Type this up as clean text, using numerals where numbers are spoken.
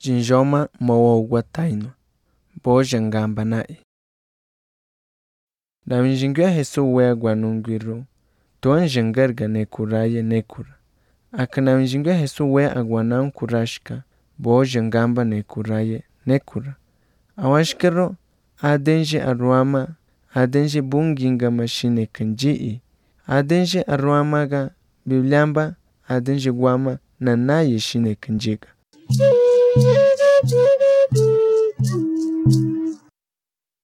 jinjoma mawo gwataino boja ngamba nai. Na njingwe Hesu wegwa nungwiru tuanje ngarga nekuraye nekura. Akana njingwe Hesu we agwana nkurashka boja ngamba nekuraye nekura. Awashkero adenje arwama adenje bunginga mashine kanjii. Adenje arwamaga bibliamba adenje gwama nanaye shine kanjiga.